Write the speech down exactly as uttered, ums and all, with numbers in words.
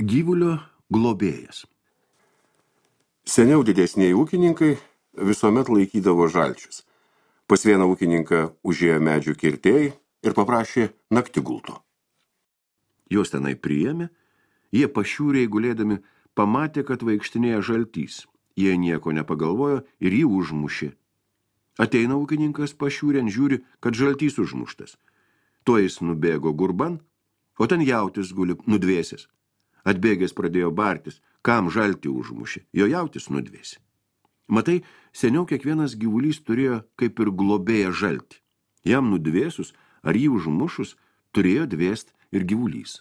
Gyvulio globėjas. Seniau didesniai ūkininkai visuomet laikydavo žalčius. Pas vieną ūkininką užėjo medžių kirtėjai ir paprašė naktigulto. Jos tenai priėmė, jie pašiūrėjai gulėdami pamatė, kad vaikštinėja žaltys. Jie nieko nepagalvojo ir jį užmušė. Ateina ūkininkas pašiūrėn, žiūri, kad žaltys užmuštas. Tuo jis nubėgo gurban, o ten jautis guli nudvėsęs. Atbėgęs pradėjo bartis, kam žaltį užmušė, jo jautis nudvėsi. Matai, seniau kiekvienas gyvulys turėjo kaip ir globėją žaltį. Jam nudvėsus ar jį užmušus turėjo dvėst ir gyvulys.